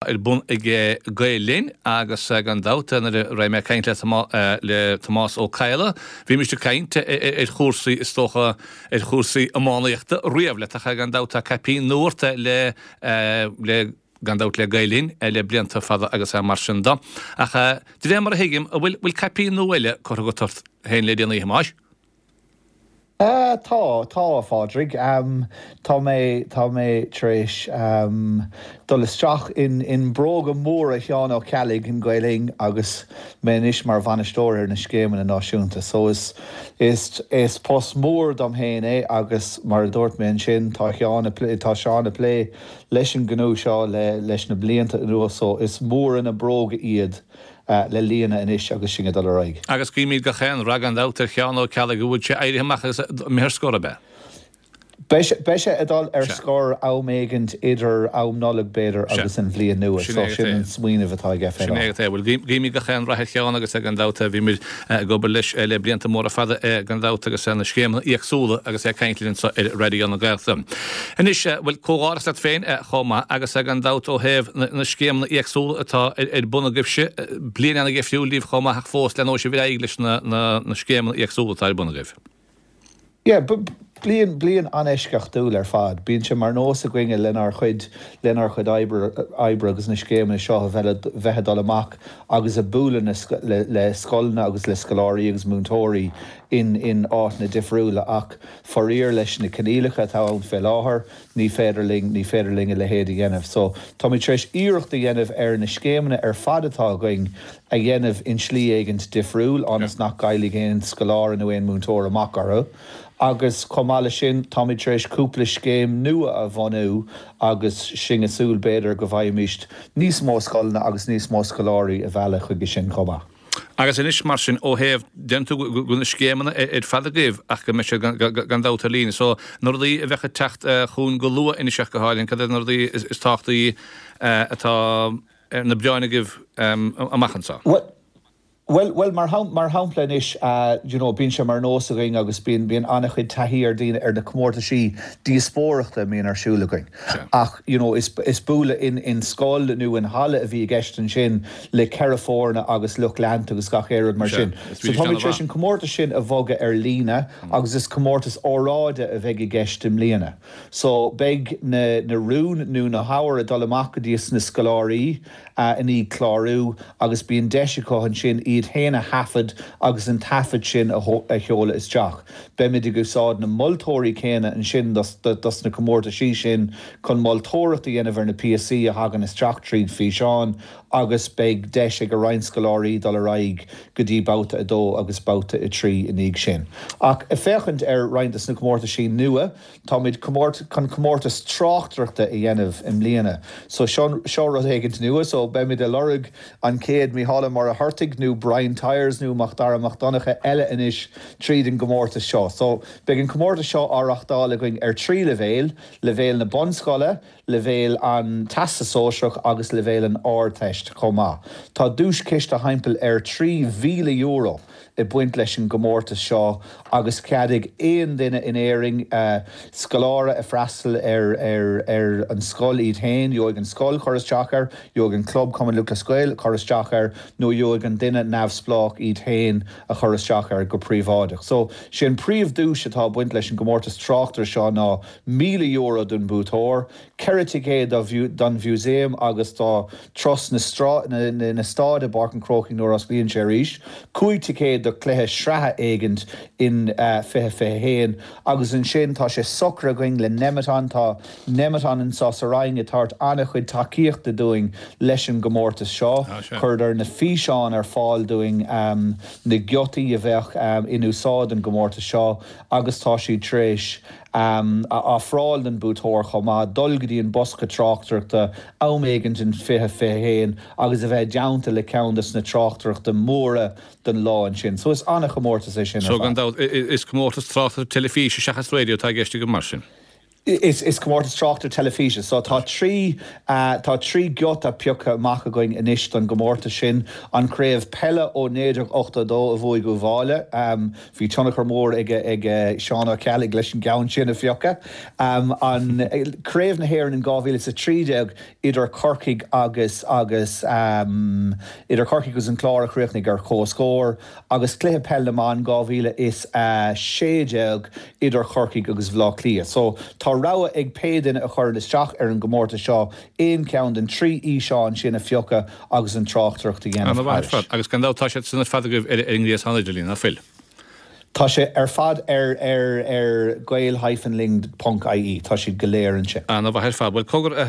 Ar bun ag Gael Linn agus gan dabht nuair a raibh mé ag caint le Tomás Ó Cadhla bhímis ag caint ar chúrsaí is dócha ar chúrsaí iománaíochta riamh le taca gan dabht tá caipín nua ort le le gan dabht le Gael Linn le blianta fada agus mar sin de. Ach de réir mar a thuigim an bhfuil bhfuil caipín nua eile curtha agat ort féin le déanaí a Thomáis? Tá, tá, a Phádraig. Tá mé, tá mé tar éis dul isteach in, in bróga móra Sheáin Ó Ceallaigh in Gael Linn agus mé anois mar bhainisteoir ar na scéimeanna náisiúnta. So is, is, is post mór dom féin é agus mar a dúirt mé ansin, tá Sheán ag plé, tá Seán ag plé leis an ngnó seo le, leis na blianta anuas so is mór na bróga iad. le líonadh anois agus sinn ag dul ar aghaidh. Agus guímid gach aon rath gan dabht ar Sheán Ó Ceallaigh, an bhfuil sé éirithe amach agus imithe ar scor, ab ea? Beidh sé ag dul ar scor am éigint idir am Nollag, b'fhéidir, agus an bhliain nua. So sin an smaoineamh atá aige fé láthair. Sin é agat é. Bhuel, guímid gach aon rath ar Sheán agus gan dabht bhíomar ag obair leis le blianta móra fada gan dabht agus na scéimeanna éagsúla agus é ag caint linn anseo ar Raidió na Gaeltachta. Anois, bhuel, comhghairdeas leat féin chomh maith agus gan dabht ó thaobh na scéimeanna éagsúla atá ar bun agaibhse, bliain ana-dheifriúil daoibh chomh maith ach fós leanóidh sibh ar aghaidh leis na scéimeanna éagsúla atá ar bun agaibh. Yeah, bliain, bliain an-eisceachtúil ar fad. Bíonn sé mar nós againne lenár chuid, lenár chuid oibre, oibre agus na scéimeanna seo a bheith, bheith ag dul amach agus ag bualadh le, le scoileanna agus le scoláirí agus múinteoirí in, in áiteanna difriúla ach Faraor leis na coinníollacha atá ann fé láthair, ní féidir linn, ní féidir linn a leithéid a dhéanamh. So, táimid tar éis iarracht a dhéanamh ar na scéimeanna ar fad atá againn a dhéanamh in slí éigint difriúil, ionas nach gcaillfidh aon scoláire nó aon múinteoir amach orthu. Agus chomh maith leis sin, táimid tar éis cúpla scéim nua a bhunú agus sinn ag súil b'fhéidir go bhfaighimist níos mó scoileanna agus níos mó scoláirí a mhealladh chuige sin chomh maith. Agus anois, mar sin, ó thaobh, deireann tú go bhfuil na scéimeanna ar fad agaibh ach go mbeidh siad gan dabht ar líne. So, na rudaí a bheadh ag teacht chugainn go luath anois ach go háirithe, cad iad na rudaí is tábhachtaí atá ar na bioráin agaibh amach anseo? Bhuel, bhuel, mar shampla anois, you know, bíonn sé mar nós againn agus bíonn, bíonn an-chuid taithí ar daoine ar na comórtaisí díospóireachta a mbíonn ar siúl againn. Ach, you know, is, is bualadh in, in scoil nó in halla a bhí i gceist ansin le 4 foirne agus lucht leanta agus gach aon rud mar sin. So táimid tar éis an comórtas sin a bhogadh ar líne agus is comórtas óráide a bheidh i gceist i mbliana. So beidh na na rúin nó na hábhair ag dul amach go dtí na scoláirí i ndiaidh clárú agus bíonn deis acu ansin iad féin a thaifead agus an taifead sin a sheoladh isteach. Beimid ag úsáid na moltóirí céanna ansin dos na comórtaisí sin chun moltóireacht a dhéanamh ar na píosaí a thagann isteach tríd físeán agus beidh deis ag roinnt scoláirí dul ar aghaidh go dtí babhta 2 agus babhta 3 i ndiaidh sin. Ach ag féachaint ar roinnt des na comórtaisí nua, táimid chun comórtas tráchtaireachta a dhéanamh i mbliana. So seo seo rud éigint nua, so beimid ag lorg an chéad Mícheál Ó Muircheartaigh nó Brian Tyers nó Macdara Mac Donncha eile anois tríd an gcomórtas seo. So beidh an comórtas seo á reachtáil againn ar thrí leibhéal, leibhéal na bunscoile, leibhéal an Teastas Sóisearach agus leibhéal an Ardteist chomh maith. Tá duaischiste thimpeall ar €3,000 ag baint leis an gcomórtas seo agus cead ag aon duine in Éirinn, scoláire ag freastal ar ar an scoil iad féin, gheobhaidh an scoil cur isteach air, gheobhaidh an club Cumann Lúthchleas Gael cur isteach air nó gheobhaidh an duine neamhspleách iad féin a chur isteach air go príobháideach. So, sé an príomh-duais atá ag baint leis an gcomórtas tráchtaire seo ná €1,000 don buaiteoir, 4 ticéad don mhúsaem agus do turas na staid i bPáirc an Chrócaigh nuair a osclaíonn sé arís, 5 ticéad do chluiche sraithe éigint in 2021 agus ansin tá sé socraithe againn le Nemeton, tá Nemeton anseo sa Rinn ag tabhairt an-chuid tacaíochta dúinn leis an gcomórtas seo, chuireadar na físeáin ar fáil dúinn, na giotaí a bheadh in úsáid don gcomórtas seo agus tá siad tar éis a ofráil don buaiteoir chomh maith dul go dtí an bosca tráchtaireachta am éigint in 2021 agus a bheith i dteannta le ceann des na tráchtaireachta móra don lá ansin. So is an-chomórtas é sin ar So gan fad. dabht, is comórtas tráchtaireachta teilifíse seachas raidió atá i gceist agaibh mar sin? Is comórtas tráchtaireacht teilifíse. So tá 3, tá 3 giota pioctha amach againn anois don gcomórtas sin. An Craobh Peile ó 1982 a bhuaigh Uíbh Fhailí. Bhí tionchar mór ag ag Seán Ó Ceallaigh leis an gceann sin a phiocadh. An Craobh na hÉireann in 2013 idir Corcaigh agus agus idir Corcaigh agus an Clár a chríochnaigh ar comhscór agus Cluiche Peil na mBan 2016 idir Chorcaigh agus Bhaile Átha Cliath. So tá rogha ag pé duine a chuireann isteach ar an gcomórtas seo aon cheann den 3 fhíseán sin a phiocadh agus an tráchtaireacht a dhéanamh Ana mhaith ar thairis. fad. Agus gan dabht tá siad sin ar fad agaibh ar an ngréasán idirlín, ná fuil? Tá sé ar fad ar ar ar gael-linn.ie. Tá siad go léir ansin. Ana mhaith ar fad. Bhuel, cogar, a.